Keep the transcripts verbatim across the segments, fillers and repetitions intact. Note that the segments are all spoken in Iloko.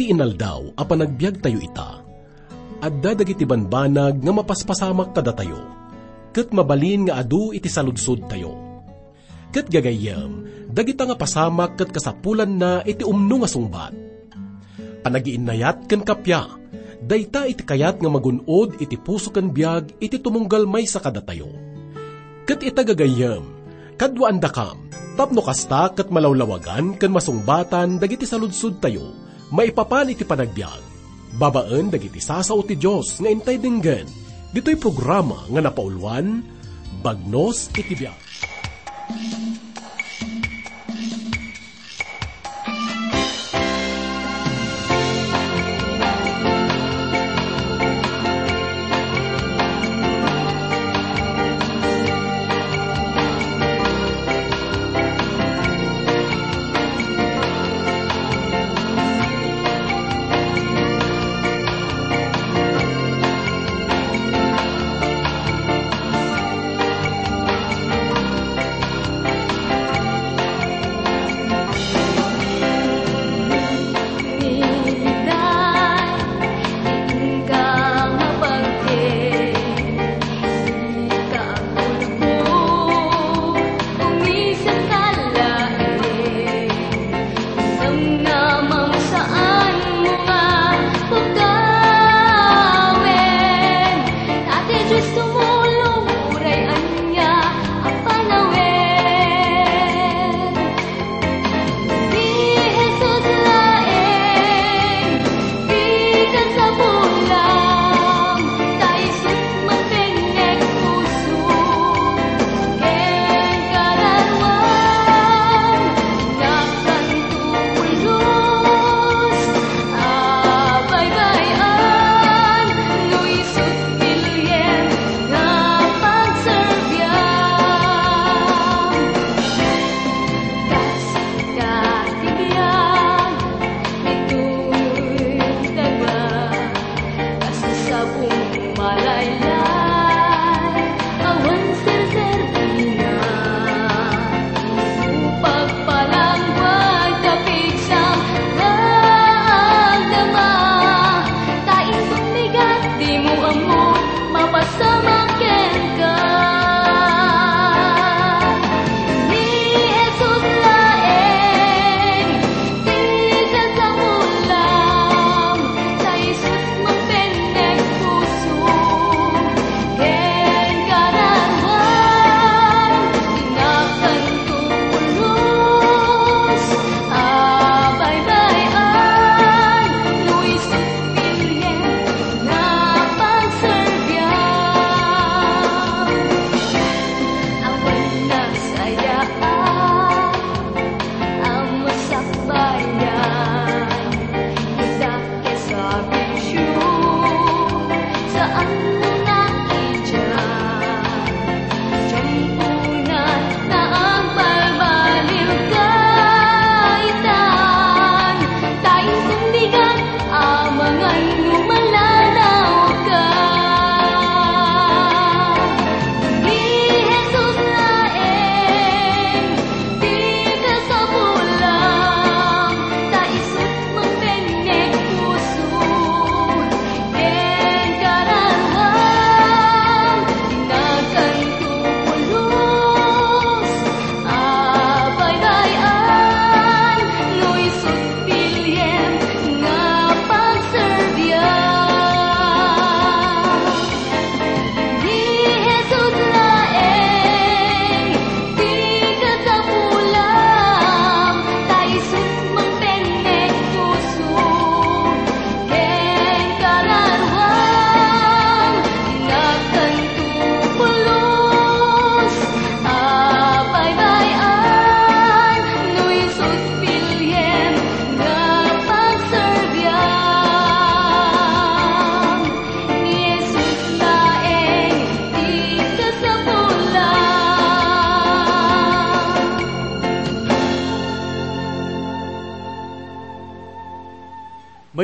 Inaldaw a panagbiagtayo ita, adda dagiti banbanag nga mapaspasamak kadatayo, ket mabalin nga adu iti saludsodtayo. Ket gagayyem, dagita nga pasamak ket kasapulanna iti umno nga sungbat. Panagiinnayat ken kappia, dayta iti kayat nga magun-od iti puso ken biag iti tumunggal maysa kadatayo. Ket ita gagayyem, kaduaandakam, tapno kasta ket malawlawagan ken masungbatan dagiti saludsodtayo maipapan iti panagbiag, babaen dagiti sasao ti Dios nga intay denggen, ditoy programa nga napauluan, Bagnos iti Biag.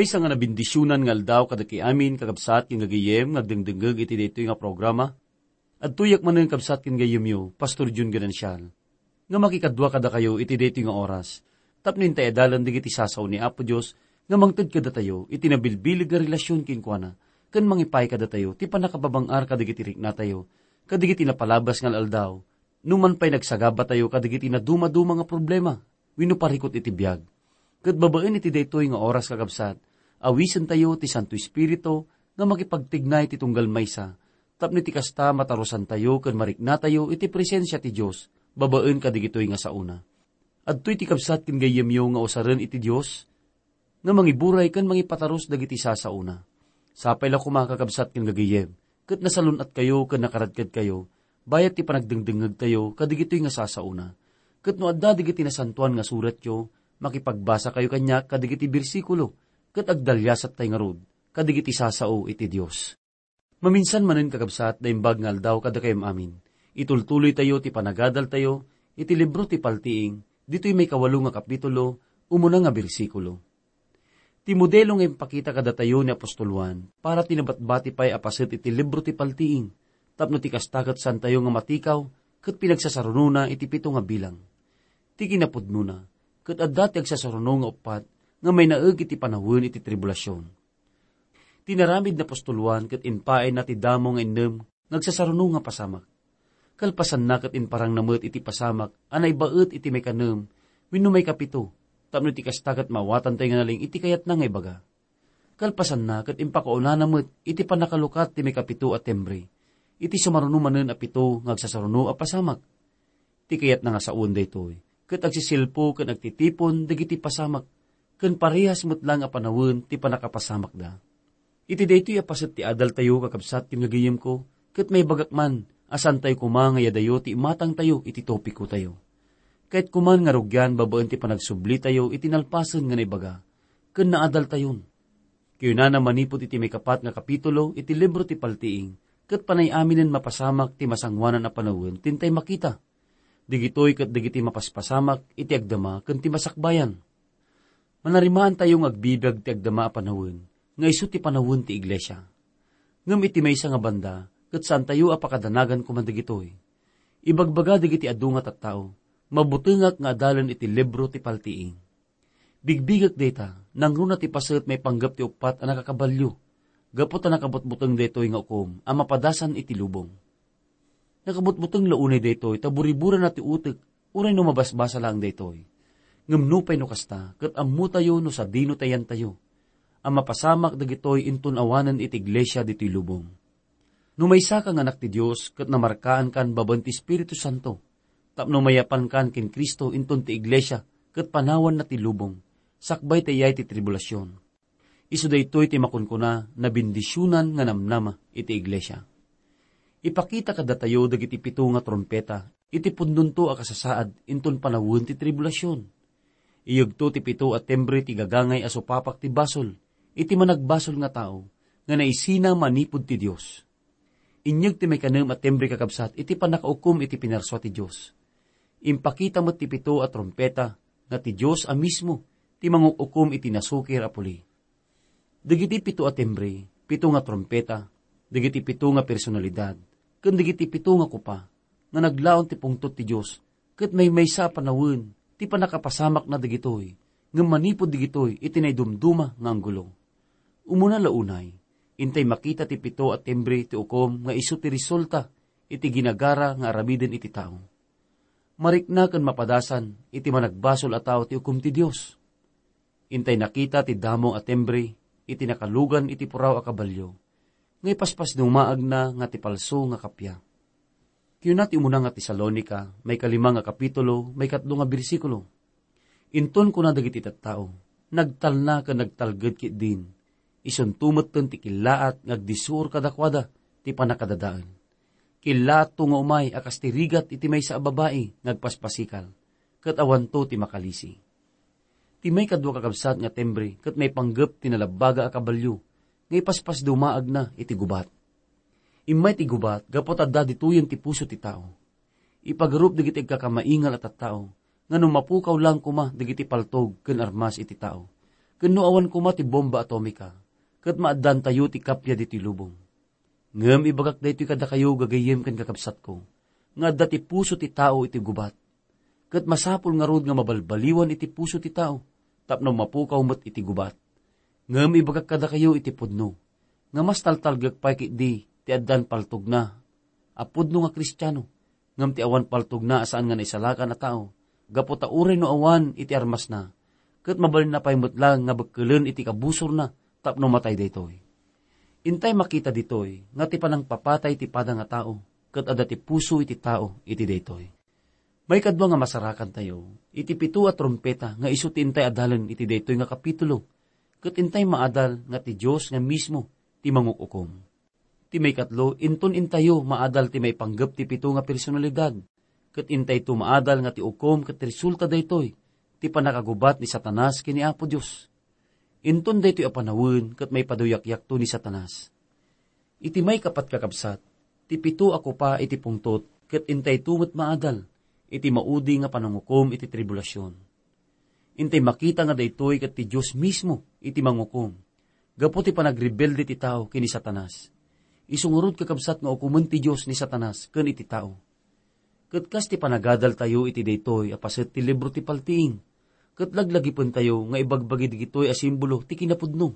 Maysa nga nabendisionan nga aldaw kadagiti amin, kakabsat ken gagayyem nga agdengdengngeg iti daytoy nga programa. Adtoyak manen, kabsat ken gayyemyo, Pastor Jun Ganancial, nga makikadua kadakayo iti daytoy nga oras tapno intay adalen dagiti sasao ni Apo Dios nga mangted kadatayo iti nabilbileg nga relasyon kenkuana, ken mangipaay kadatayo ti pannakababang-ar kadagiti riknatayo, kadagiti napalabas nga al-aldaw, numan pay nagsagabatayo kadagiti nadumaduma nga problema wenno parikut iti biag. Ket babaen iti daytoy nga oras, kakabsat, awisentayo ti Santo Espiritu nga makipagtignay ti tunggal maysa, tapno iti kasta matarusantayo ken mariknatayo iti presensia ti Dios babaen kadagitoy nga saona. Adtoy ti kabsat ken gayyemyo nga usaren iti Dios nga mangiburay ken mangipatarus dagiti sasaona. Sapay la koma, kakabsat ken gagayyem, ket nasalun-atkayo ken nakaradkadkayo bayat ti panagdengdengngegtayo kadagitoy nga sasaona. Ket no adda dagiti nasantoan nga suratyo, makipagbasakayo kaniak kadagiti bersikulo, ket agdaliasattay ngarud kadagiti sasao iti Dios. Maminsan manen, kakabsat, naimbag nga aldaw kadakayo amin. Itultuloytayo ti panagadaltayo iti libro ti Paltiing, ditoy maikawalo nga kapitulo, umuna nga bersikulo. Ti modelo nga impakita kadatayo ni apostol Juan para ti nabatbati pay a paset iti libro ti Paltiing, tapno ti kasta ket saantayo nga matikaw ket pinagsasarunona iti pito nga bilang. Ti kinapudnona, ket adda ti agsasaruno nga uppat nga mainaeg iti panawen iti tribulasion. Tinaramid ni apostol Juan ket impaayna ti damo nga innem nga agsasaruno nga pasamak. Kalpasanna ket imparangna met iti pasamak a naibaet iti maikanem wenno maikapito, tapno iti kasta ket maawatantayo nga naleng iti kayatna nga ibaga. Kalpasanna ket impakaunana met iti pannakalukat ti maikapito a timbre, iti sumaruno manen a pito nga agsasaruno a pasamak. Ti kayatna nga sawen daytoy, ket agsisilpo ken agtitipon dagiti pasamak, ken parehas met laeng a panawen ti pannakapasamakda. Iti daytoy a paset ti adaltayo, kakabsat ken gagayyemko, ket maibagak man a saantayo koma nga iyadayo ti imatangtayo iti topikotayo. Kayatko man nga rugian babaen ti panagsublitayo iti nalpasen nga naibaga ken naadaltayon. Kayunana manipud iti maikapat nga kapitulo iti libro ti Paltiing, ket panay aminen mapasamak ti masangoanan a panawen ti intay makita. Dagitoy ket dagiti mapaspasamak iti agdama ken ti masakbayan. Manarimaantayo nga agbibiag ti agdama a panawen nga isu ti panawen ti iglesia. Ngem iti maysa nga banda, ket saantayo a pakadanagan koma dagitoy. Ibagbaga dagiti adu nga tattao, mabutengak nga adalen iti libro ti Paltiing. Bigbigek dayta, nangruna ti paset maipanggep ti uppat a nakakabalio, gapu ta nakabutbuteng daytoy nga ukom a mapadasan iti lubong. Nakabutbuteng la unay daytoy ta buriburana ti utek uray no mabasbasa laeng daytoy. Ngem nupay no kasta, ket ammotayo no sadino ti ayantayo a mapasamak dagitoy inton awanen iti iglesia ditoy lubong. No maysaka nga anak ti Dios ket namarkaankan babaen ti Espiritu Santo, tapno mayapankan ken Cristo inton ti iglesia ket panawanna ti lubong, sakbay ti ayay ti tribulasion. Isu daytoy ti makunkuna, nabendisionan nga namnama iti iglesia. Ipakita kadatayo dagiti pito nga trumpeta iti pudnonto a kasasaad inton panawen ti tribulasion. Iyegto ti pito a timbre ti gagangay a supapak ti basol iti managbasol nga tao nga naisina manipud ti Dios. Inyeg ti maikanem a timbre, kakabsat, iti pannakaukom iti pinarsua ti Dios. Impakita met ti pito a trumpeta nga ti Dios a mismo ti manguk-ukom iti nasukir a puli. Dagiti pito a timbre, pito nga trumpeta, dagiti pito nga personalidad, ken dagiti pito nga kopa nga naglaon ti pungtot ti Dios, ket maymaysa a panawen ti pannakapasamakna dagitoy, ngem manipud dagitoy iti naidumduma nga anggulo. Umuna la unay, intay makita ti pito a timbre ti ukom nga isu ti resulta iti ginagara nga aramiden iti tao. Marikna ken mapadasan iti managbasol a tao ti ukom ti Dios. Intay nakita ti damo a timbre iti nakalugan iti puraw a kabalio, nga ipaspasdumaagna nga ti palso nga kappia. Kuna ti umuna nga Tesalonica, maikalima nga kapitulo, maikatlo nga bersikulo. Inton kuna dagiti tattao, "Nagtalna ken nagtalged ketdin, isunto metten ti killaat nga agdisur kadakuada ti pannakadadael. Killaatto nga umay a kas ti rigat iti maysa a babai nga agpaspasikal, ket awanto ti makalisi." Ti maikadua, kakabsat, nga timbre ket maipanggep ti nalabbaga a kabalio nga ipaspasdumaagna iti gubat. Immay ti gubat gapu ta adda ditoyen ti puso ti tao. Ipagarup dagiti agkakamaingal a tattao nga no mapukaw lang koma dagiti paltog ken armas iti tao, ken no awan koma ti bomba atomika, ket maaddantayo ti kappia ditoy lubong. Ngem ibagak daytoy kadakayo, gagayyem ken kakabsatko, nga adda ti puso ti tao iti gubat. Ket masapul ngarud nga mabalbaliwan iti puso ti tao tapno mapukaw met iti gubat. Ngem ibagak kadakayo iti pudno, nga mas taltalgek pay ketdi ti addan paltogna a pudno nga Kristiano, ngem ti awan paltogna a saan nga naisalakan a tao, gapu ta uray no awan iti armasna, ket mabalinna pay met laeng nga bekkelen iti kabusorna tapno matay daytoy. Intay makita ditoy nga ti panangpapatay ti pada nga tao, ket adda ti puso iti tao iti daytoy. Maikadua nga masarakantayo, iti pito a trumpeta nga isu ti intay adalen iti daytoy nga kapitulo, ket intay maadal nga ti Dios nga mismo ti manguk-ukom. Ti maikatlo, inton intayo maadal ti maipanggep ti pito nga personalidad, ket intayto maadal nga ti ukom ket resulta daytoy ti pannakagubat ni Satanas ken ni Apo Dios. Inton daytoy a panawen ket maipaduyakyakto ni Satanas. Iti maikapat, kakabsat, ti pito a kopa iti pungtot ket intayto met maadal iti maudi nga panangukom iti tribulasion. Intay makita nga daytoy ket ti Dios mismo iti mangukom gapu ti panagrebelde ti tao ken ni Satanas. Isu ngarud, kakabsat, nga ukomen ti Dios ni Satanas ken iti tao. Ket kas ti panagadaltayo iti daytoy a paset ti libro ti paltiing, ket laglagipentayo nga ibagbagi dagitoy a simbolo ti kinapudno.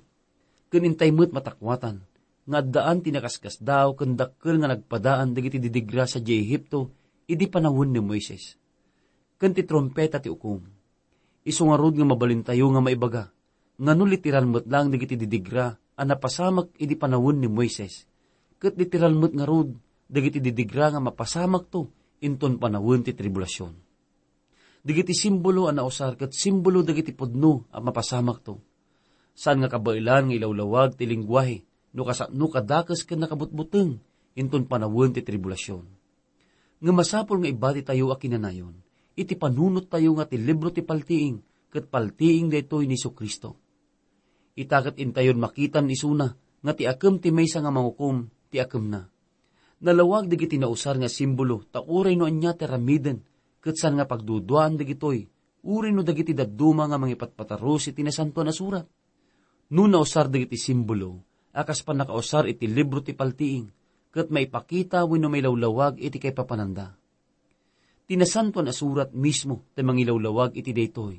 Ken intay met matakuatan nga addaan ti nakaskasdaaw ken dakkel nga nagpadaan dagiti didigra sadiay Egipto idi panawen ni Moises. Ken ti trumpeta ti ukom. Isu ngarud nga mabalintayo nga maibaga nga no literal met laeng dagiti didigra a napasamak idi panawen ni Moises, ket literal met ngarud dagiti didigra nga mapasamakto inton panawen ti tribulasion. Dagiti simbolo a nausar ket simbolo dagiti pudno a mapasamakto. Saan nga kabaelan nga ilawlawag ti lengguahe no kasano kadakes ken nakabutbuteng inton panawen ti tribulasion. Ngem masapul nga ibatitayo a kinanayon iti panunottayo nga ti libro ti paltiing ket paltiing daytoy ni Jesu-Cristo. Ita ket intayon makitan isuna nga ti akem ti maysa nga mangukom ti akemna. Nalawag dagiti nausar nga simbolo ta uray no ania ti aramiden ket saan nga pagduduaan dagitoy, uray no dagiti dadduma nga mangipatpatarus iti Nasantoan a Surat. No nausar dagiti simbolo a kas pannakausar iti libro ti paltiing, ket maipakita wenno mailawlawag iti kaipapananda. Ti Nasantoan a Surat mismo ti mangilawlawag iti daytoy,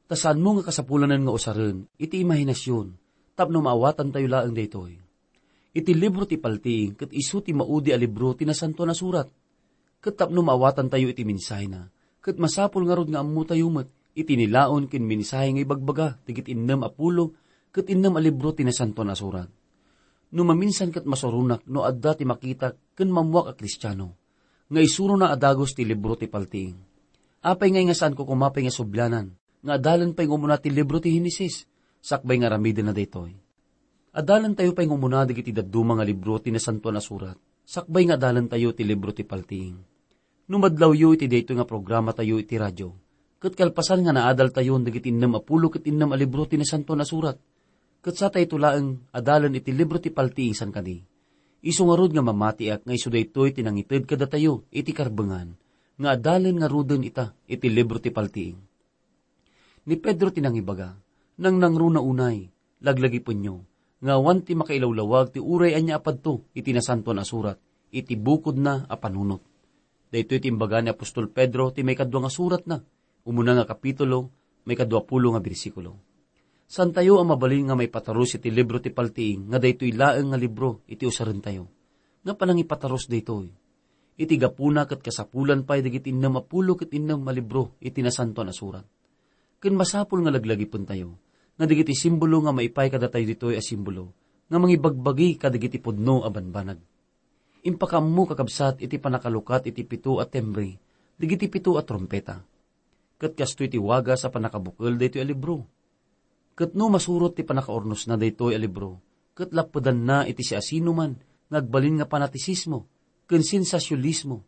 ta saanmo nga kasapulanen nga usaren iti imahinasion tapno maawatantayo laeng daytoy. Iti libro ti paltiing ket isu ti maudi a libro ti Nasantoan a Surat. Ket tapno maawatantayo iti mensahena, ket masapul ngarud nga ammotayo met iti nilaon ken mensahe nga ibagbaga dagiti innem a pulo ket innem a libro ti Nasantoan a Surat. No maminsan ket masuronak no adda ti makita ken mammuak a Kristiano nga isurona a dagus ti libro ti paltiing. Apay ngay nga saanko koma pay nga sublianan nga adalen pay nga umuna ti libro ti Henesis, sakbay nga aramidenna daytoy? Adalentayo pay nga umuna dagiti dadduma nga libro ti Nasantoan a Surat, sakbay nga adalentayo ti libro ti paltiing. No madlawyo iti daytoy nga programatayo iti radio, ket kalpasan nga naadaltayon dagiti innem a pulo ket innem a libro ti Nasantoan a Surat, ket satayto laeng adalen iti libro ti paltiing san kadi, isu ngarud nga mamatiak nga isu daytoy ti nangited kadatayo iti karbengan nga adalen ngaruden ita iti libro ti paltiing. Ni Pedro ti nangibaga, nangnangruna unay, laglagipenyo, nga awan ti makailawlawag ti uray ania a padto iti Nasantoan a Surat iti bukodna a panunot. Daytoy ti imbaga ni apostol Pedro ti maikadua nga suratna, umuna nga kapitulo, maikadua pulo nga bersikulo. Santayo a mabalin nga maipatarus iti libro ti paltiing nga daytoy laeng nga libro iti usarentayo. Nga panangipatarus daytoy. Iti gapuna ket kasapulan pay dagiti innem a pulo ket innem a libro iti Nasantoan a Surat. Ken masapul nga laglagipentayo nga dagiti simbolo nga maipay kadatayo ditoy a simbolo nga mangibagbagi kadagiti pudno a banbanag. Impakaammo, kakabsat, iti pannakalukat iti pito a timbre dagiti pito a trumpeta. Ket kastoy ti wagas a pannakabukel daytoy a libro. Ket no masurot ti pannakaurnosna daytoy a libro, ket lappedanna iti siasinoman nga agbalin nga fanatisismo ken sensasionismo,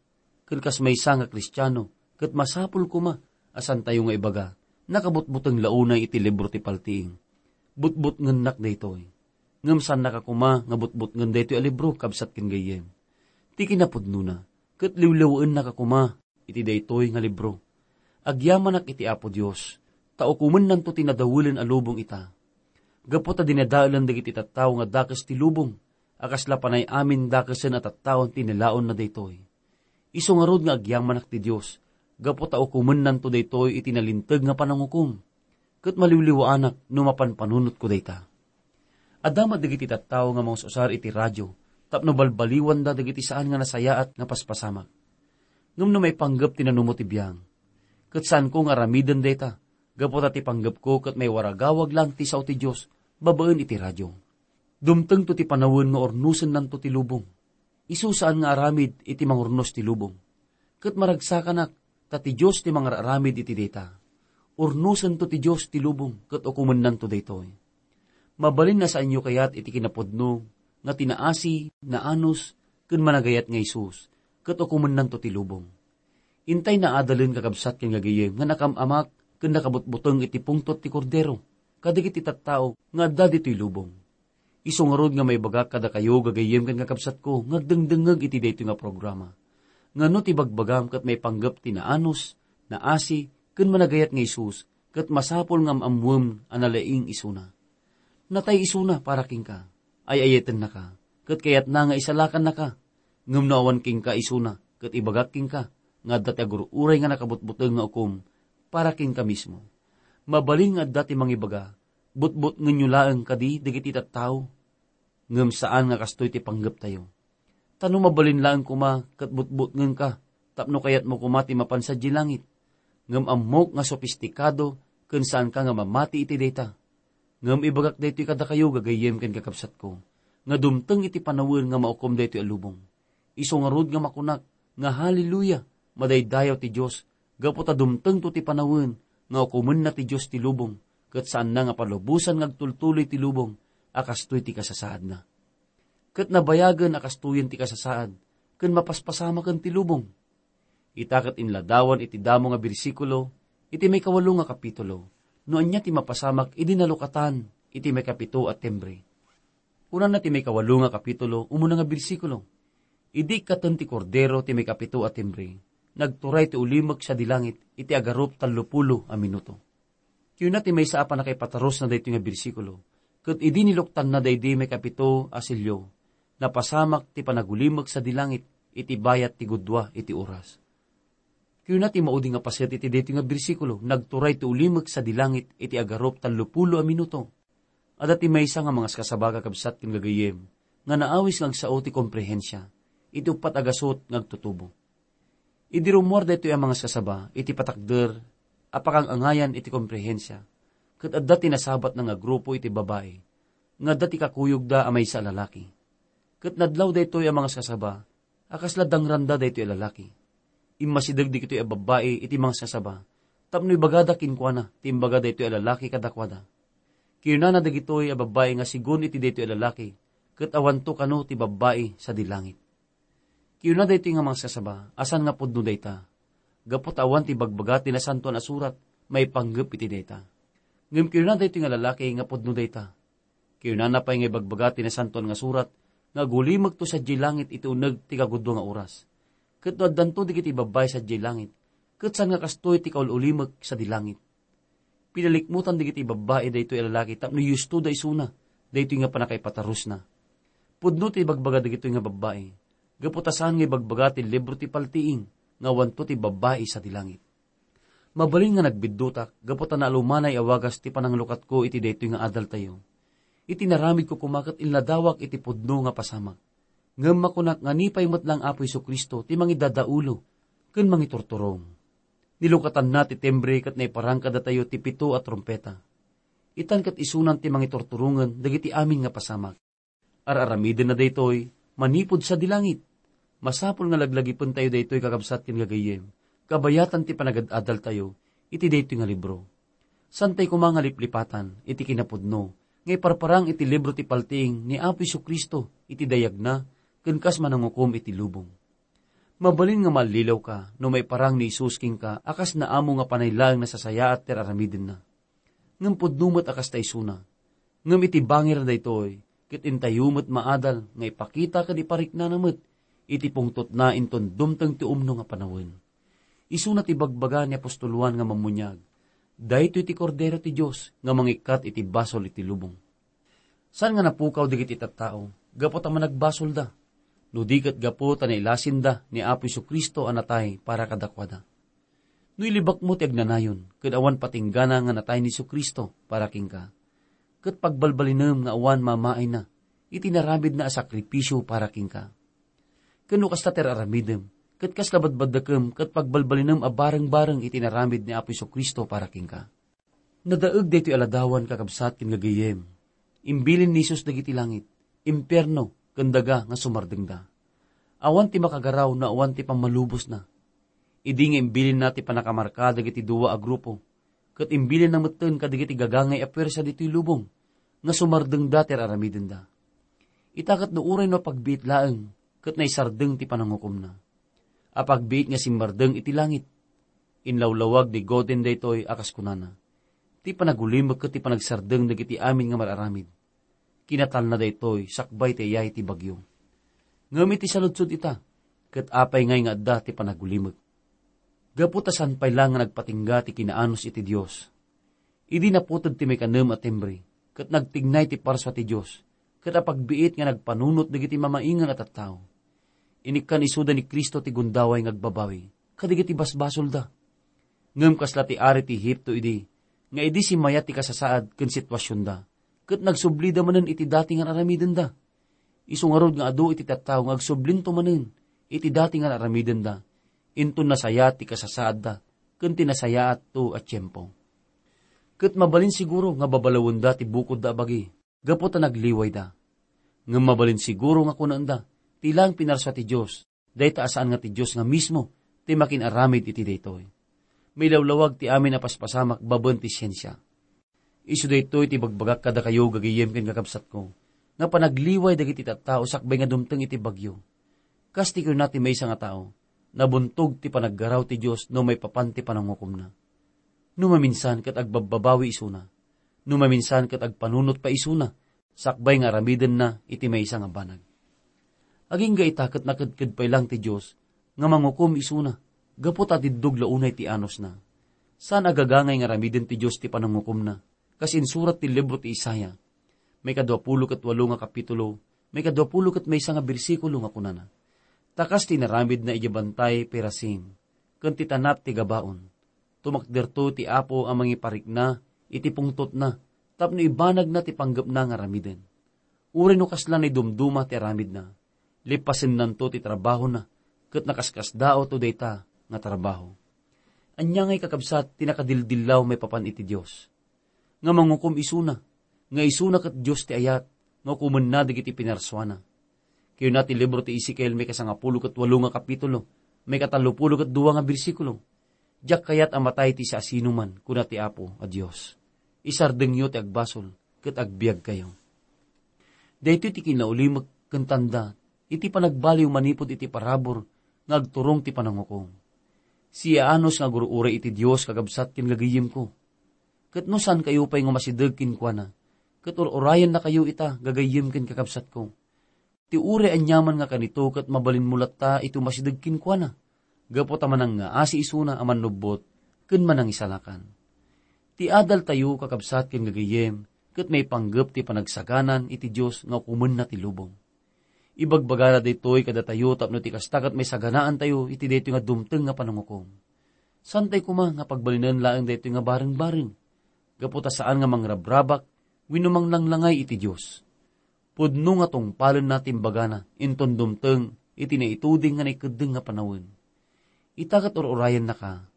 ken kas maysa nga Kristiano, ket masapul koma a santayo nga ibaga, nakabutbuteng la unay iti libro ti paltiing. Butbutngennaka daytoy. Ngem saannaka koma nga butbutngen daytoy a libro, kabsat ken gayyem. Ti kinapudnona, ket liwliwaennaka koma iti daytoy nga libro. Agyamanak iti Apo Dios, ta ukomennanto ti nadawelen a lubong ita. Gapu ta dinadaelen dagiti tattao nga dakes ti lubong, a kasla panay amin dakesen a tattaon ti nilaonna daytoy. Isu ngarud nga agyamanak ti Dios, gapu ta ukomennanto daytoy iti nalinteg nga panangukom, ket maliwliwaanak no mapanpanunotko dayta. Adda met dagiti tattao nga mangus-usar iti radio tapno balbaliwanda dagiti saan nga nasayaat nga paspasamak. Ngem no maipanggep ti nanumo ti biang, ket saanko nga aramiden dayta, gapu ta ti panggepko ket maiwaragawag laeng ti sao ti Dios babaen iti radio. Dumtengto ti panawen nga urnosennanto ti lubong. Isu saan nga aramid iti mangurnos ti lubong. Ket maragsakanak, ta ti Dios ti mangar-aramid iti dayta. Urnosento ti Dios ti lubong ket ukomennanto daytoy. Mabalin a saanyo kayat iti kinapudno nga ti naasi, naanus, ken managayat nga Jesus, ket ukomennanto ti lubong. Intay naadalen, kakabsat ken gagayyem, nga nakam-amak ken nakabutbuteng iti pungtot ti Kordero kadagiti tattao nga adda ditoy lubong. Isu ngarud nga maibagak kadakayo, gagayyem ken kakabsatko, nga agdengdengngeg iti daytoy nga programa, nga no ti bagbagam ket maipanggep ti naanus, naasi, ken managayat nga Jesus, ket masapul nga am-ammoem a nalaing isuna. Natay isuna para kenka, ay-ayatennaka, ket kayatna nga isalakannaka. Ngem no awan kenka isuna, ket ibagak kenka nga adda ti agur-uray nga nakabutbuteng nga ukom para kenka mismo. Mabalin nga adda ti mangibaga, butbutngenyo laeng kadi dagiti tattao? Ngem saan nga kastoy ti panggeptayo. Ta no mabalin laeng koma ket butbutngenka tapno kayatmo koma ti mapan sadiay langit. Ngem ammok nga sopistikado ken saanka nga mamati iti dayta. Ngem ibagak daytoy kadakayo, gagayyem ken kakabsatko, nga dumteng iti panawen nga maukom daytoy a lubong. Isu ngarud nga makunak nga, "Haleluya! Madaydayaw ti Dios, gapu ta dumtengto ti panawen nga ukomenna ti Dios ti lubong, ket saanna nga palubosan nga agtultuloy ti lubong a kastoy ti kasasaadna." Ket nabayagen a kastoyen ti kasasaad, ken mapaspasamaken ti lubong. Ita ket inladawan iti damo nga bersikulo iti maikawalo nga kapitulo, no ania ti mapasamak idi nalukatan iti maikapito a timbre. Kunana ti maikawalo nga kapitulo, umuna nga bersikulo, "Idi ikkaten ti Kordero ti maikapito a timbre, nagturay ti ulimek sadi langit iti agarup tallopulo a minuto." Kuna ti maysa a pannakaipatarusna daytoy nga bersikulo, "Ket idi niluktanna daydi maikapito a selio, napasamak ti panagulimek sadi langit iti bayat ti gudua iti oras." Kuna ti maudi nga paset iti daytoy nga bersikulo, "Nagturay ti ulimek sadi langit iti agarup tallopulo a minuto." Adda ti maysa nga mangaskasaba, kakabsat ken gagayyem, nga naawis nga agsao ti komprehensia iti uppat a gasut nga agtutubo. Idi rummuar daytoy a mangaskasaba iti patakder a pakang-angayan iti komprehensia, ket adda ti nasabatna nga grupo iti babai nga adda ti kakuyogda a maysa a lalaki. Ket nadlaw daytoy a mangaskasaba a kasla dangranda daytoy a lalaki. Immasideg dagitoy a babbai iti mangaskasaba tapno ibagada kenkuana ti imbaga daytoy a lalaki kadakuada. Kinunana dagitoy a babbai nga sigun iti daytoy a lalaki, ket awanto kano ti babbai sadi langit. Kinuna daytoy nga mangaskasaba a saan nga pudno dayta, gapu ta awan ti ibagbaga ti Nasantoan a Surat maipanggep iti dayta. Ngem kinuna daytoy nga lalaki nga pudno dayta. Kinunana pay nga ibagbaga ti Nasantoan nga Surat nga agulimekto sadiay langit iti uneg ti kagudua nga oras. Ket no addanto dagiti babbai sadiay langit, ket saan nga kastoy ti kaul-ulimek sadi langit. Pinalikmutan dagiti babbai daytoy a lalaki tapno yustoda isuna daytoy nga pannakaipatarusna. Pudno ti ibagbaga dagitoy nga babbai, gapu ta saan nga ibagbaga ti libro ti paltiing nga awanto ti babbai sadi langit. Mabalin nga nagbiddutak gapu ta naalumanay a wagas ti pananglukatko iti daytoy nga adaltayo. Iti naramidko koma ket inladawak iti pudno nga pasamak. Ngem makunak nga ni pay met laeng Apo Jesu-Cristo ti mangidadaulo ken mangiturturong. Nilukatanna ti timbre ket naiparang kadatayo ti pito a trumpeta. Itan ket isunan ti mangiturturongen dagiti amin nga pasamak. Ar-aramidenna daytoy manipud sadi langit. Masapul nga laglagipentayo daytoy, kakabsat ken gagayyem, kabayatan ti panagad-adaltayo iti daytoy nga libro. Saantay koma nga liplipatan iti kinapudno nga iparparang iti libro ti paltiing ni Apo Jesu-Cristo iti dayagna ken kas manangukom iti lubong. Mabalin nga mallilawka no maiparang ni Jesus kenka a kas naamo nga panay laeng nasasayaat ti ar-aramidenna. Ngem pudno met a kasta isuna. Ngem iti bangir daytoy, ket intayo met maadal nga ipakita ken ipariknana met iti pungtotna inton dumteng ti umno nga panawen. Isuna ti bagbaga ni apostol Juan nga Mammuniag, "Daytoy ti Kordero ti Dios nga mangikkat iti basol iti lubong." Saan nga napukaw dagiti tattao gapu ta managbasolda, no di ket gapu ta nailasinda ni Apo Jesu-Cristo a natay para kadakuada. No ilibakmo ti agnanayon ken awan patinggana nga natay ni Jesu-Cristo para kenka, ket pagbalbalinem nga awan mamaayna iti naramidna a sakrifisio para kenka. Ken no kasta ti ar-aramidem, ket kasla badbaddakem ket pagbalbalinem a bareng-bareng iti naramid ni Apo Jesu-Cristo para kenka. Nadaeg daytoy a ladawan, kakabsat ken gagayyem. Imbilin ni Jesus dagiti langit, impierno, ken daga nga sumardengda. Awan ti makagaraw no awan ti pammalubosna. Idi nga imbilinna ti pannakamarka dagiti dua a grupo, ket imbilinna metten kadagiti gagangay a puersa ditoy lubong nga sumardengda ti ar-aramidenda. Ita ket no uray no apagbiit laeng ket naisardeng ti panangukomna. Apagbiit nga simmardeng iti langit. Inlawlawag ni Godin daytoy a kas kunana, "Ti panagulimek ket ti panagsardeng dagiti amin nga mar-aramid. Kinatalna daytoy sakbay ti ayay ti bagyo." Ngem iti saludsod ita, ket apay ngay nga adda ti panagulimek? Gapu ta saan pay la nga nagpatingga ti kinaanus iti Dios. Idi naputed ti maikanem a timbre, ket nagtignay ti parsua ti Dios, ket apagbiit nga nagpanunot dagiti mamaingan a tattao. Inikkan isuda ni Cristo ti gundaway nga agbabawi kadagiti basbasolda. Ngem kasla ti ari ti Egipto idi, nga idi simmayat ti kasasaad ken situasionda, ket nagsublida manen iti dati nga aramidenda. Isu ngarud nga adu iti tattao nga agsublinto manen iti dati nga aramidenda, inton nasayaat ti kasasaadda ken ti nasayaatto a tiempo. Ket mabalin siguro nga babalawenda ti bukodda a bagi gapu ta nagliwayda. Ngem mabalin siguro nga kunaenda, ti laeng pinarsua ti Dios, dayta a saan nga ti Dios nga mismo ti makin-aramid iti daytoy. Mailawlawag ti amin a paspasamak babaen ti siensia. Isu daytoy ti ibagbagak kadakayo, gagayyem ken kakabsatko, nga panagliway dagiti tattao sakbay nga dumteng iti bagyo. Kas ti kuna ti maysa nga tao, nabuntog ti panaggaraw ti Dios no maipapan ti panangukomna. No maminsan ket agbabbabawi isuna. No maminsan ket agpanunot pay isuna, sakbay nga aramidenna iti maysa nga banag. Agingga ita ket nakedked pay lang ti Dios nga mangukom isuna, gapu ta diddog la unay ti anusna. Saan a gagangay nga aramiden ti Dios ti panangukomna, kas insurat ti libro ti Isaiah, maikadua pulo ket walo nga kapitulo, maikadua pulo ket maysa nga bersikulo nga kunana, "Ta kas ti inaramidna idiay bantay Perazim, ken ti tanat ti Gabaon, tumakderto ti Apo a mangiparikna iti pungtotna tapno ibanagna ti panggepna nga aramiden. Uray no kasla naidumduma ti aramidna, lipasennanto ti trabahona, ket nakaskasdaawto dayta nga trabaho." Ania ngay, kakabsat, ti nakadildillaw maipapan iti Dios? Nga mangukom isuna, nga isuna ket Dios ti ayat, nga ukomenna dagiti pinarsuana. Kuna ti libro ti Ezekiel, maikasangapulo ket walo nga kapitulo, maikatallopulo ket dua nga bersikulo, "Diak kayat a matay ti siasinoman, kuna ti Apo a Dios. Isardengyo ti agbasol, ket agbiagkayo." Daytoy ti kinaulimek ken tanda iti panagbaliw manipud iti parabur nga agturong ti panangukom. Siyaanus nga agur-uray iti Dios, kakabsat ken gagayyemko. Ket no saankayo pay nga masideg kenkuana, ket ur-urayennakayo ita, gagayyem ken kakabsatko, ti uray aniaman nga kanito ket mabalinmo latta iti umasideg kenkuana, gapu ta manangngaasi isuna a mannubbot ken manangisalakan. Ti adaltayo, kakabsat ken gagayyem, ket maipanggep ti panagsaganan iti Dios nga ukomenna ti lubong. Ibagbagana daytoy kadatayo tapno ti kasta ket maisaganaantayo iti daytoy nga dumteng nga panangukom. Saantay koma nga pagbalinen laeng daytoy nga bareng-bareng, gapu ta saan nga mangrabrabak wenno manglanglangay iti Dios. Pudno nga tungpalenna ti imbagana inton dumteng iti naituding nga naikeddeng nga panawen. Ita ket ur-urayennaka.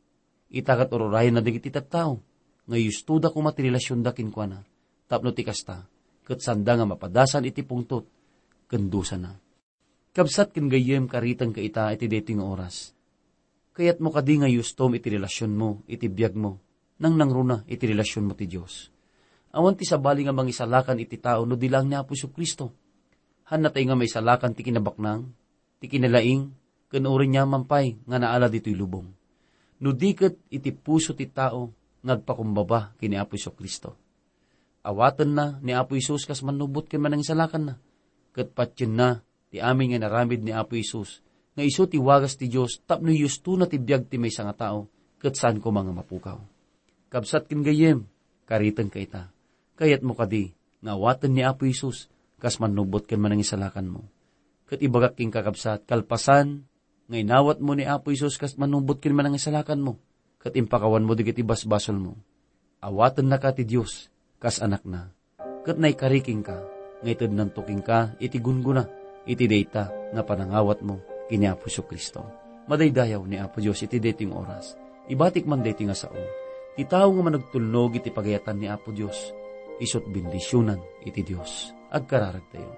Ita ket ur-urayenna dagiti tattao nga yustoda koma ti relasionda kenkuana, tapno ti kasta, ket sanda nga mapadasan iti pungtot ken dusana. Kabsat ken gayyem, karitengka ita iti daytoy nga oras. Kayatmo kadi nga yustom iti relasionmo iti biagmo, nangnangruna iti relasionmo ti Dios? Awan ti sabali nga mangisalakan iti tao no di laeng ni Apo Jesu-Cristo. Hannatay nga maisalakan ti kinabaknang, ti kinalaing, ken uray aniaman pay nga naala ditoy lubong, no di ket iti puso ti tao nga agpakumbaba ken ni Apo Jesu-Cristo. Awatenna ni Apo Jesus kas mannubot ken manangisalakanna, ket patienna ti amin nga inaramid ni Apo Jesus, nga isu ti wagas ti Dios tapno yustona ti biag ti maysa nga tao, ket saan koma nga mapukaw. Kabsat ken gayyem, karitengka ita. Kayatmo kadi nga awaten ni Apo Jesus kas mannubot ken manangisalakanmo? Ket ibagak kenka, kabsat, kalpasan nga inawatmo ni Apo Jesus kas mannubot ken manangisalakanmo, ket impakawanmo dagiti basbasolmo, awatennaka ti Dios kas anakna. ket naikari kenka, nga itednanto kenka iti gunggona iti dayta nga panangawatmo ken ni Apo Jesu-Cristo. Madaydayaw ni Apo Dios iti daytoy nga oras. Ibatik man daytoy nga sao, ti tao nga managtulnog iti pagayatan ni Apo Dios, isut' bendisionan iti Dios. Agkararagtayo.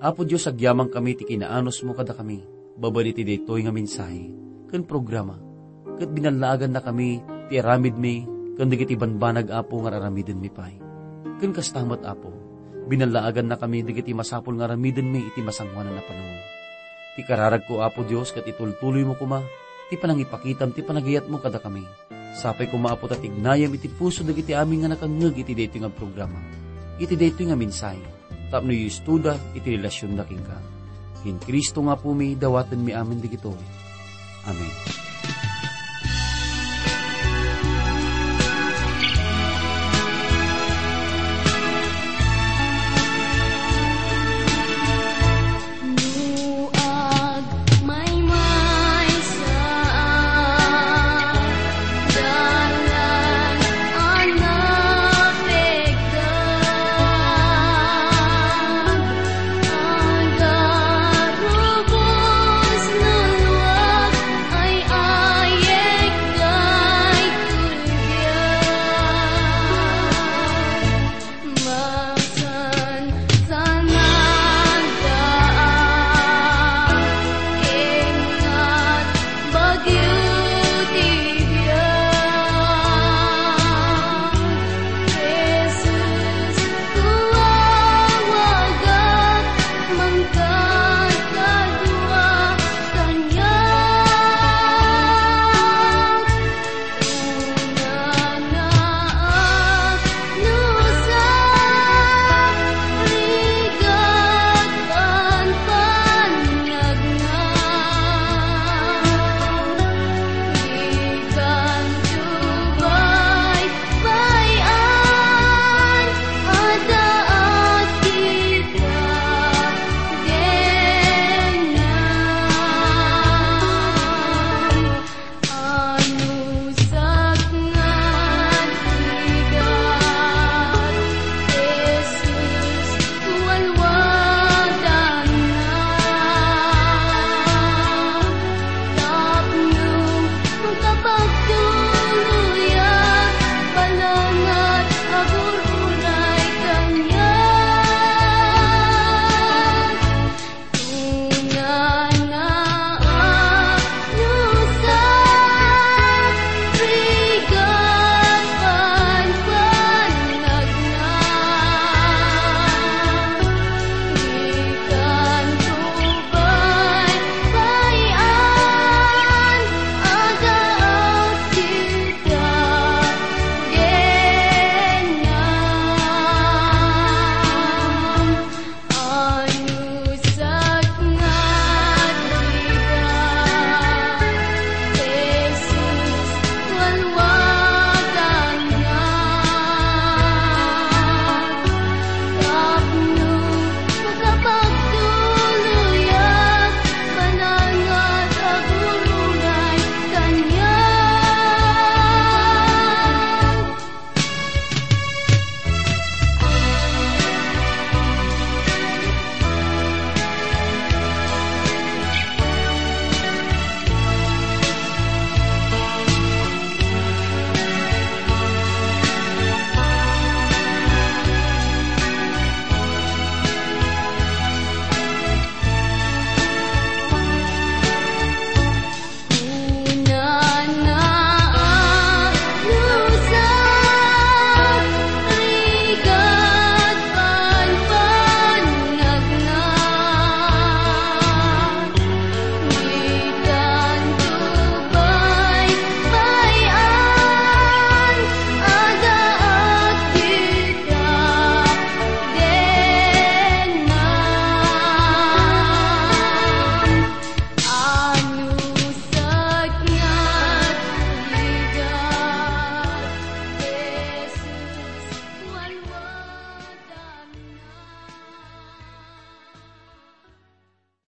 Apo Dios, agyamankami ti kinaanusmo kadakami babaen iti daytoy nga mensahe ken programa, ket binallaagannakami ti aramidmi ken dagiti banbanag, Apo, nga ar-aramidenmi pay. Ken kasta met, Apo, binallaagannakami dagiti masapul nga aramidenmi iti masangoanan a panawen. Ti kararagko, Apo Dios, ket itultuloymo koma ti panangipakitam ti panagayatmo kadakami. Sapay koma, Apo, ta tignayem iti puso dagiti amin nga nakangngeg iti daytoy nga programa, iti daytoy nga mensahe, tapno iustoda iti relasionda kenka. Ken Cristo nga Apomi, dawatenmi amin dagitoy. Amen.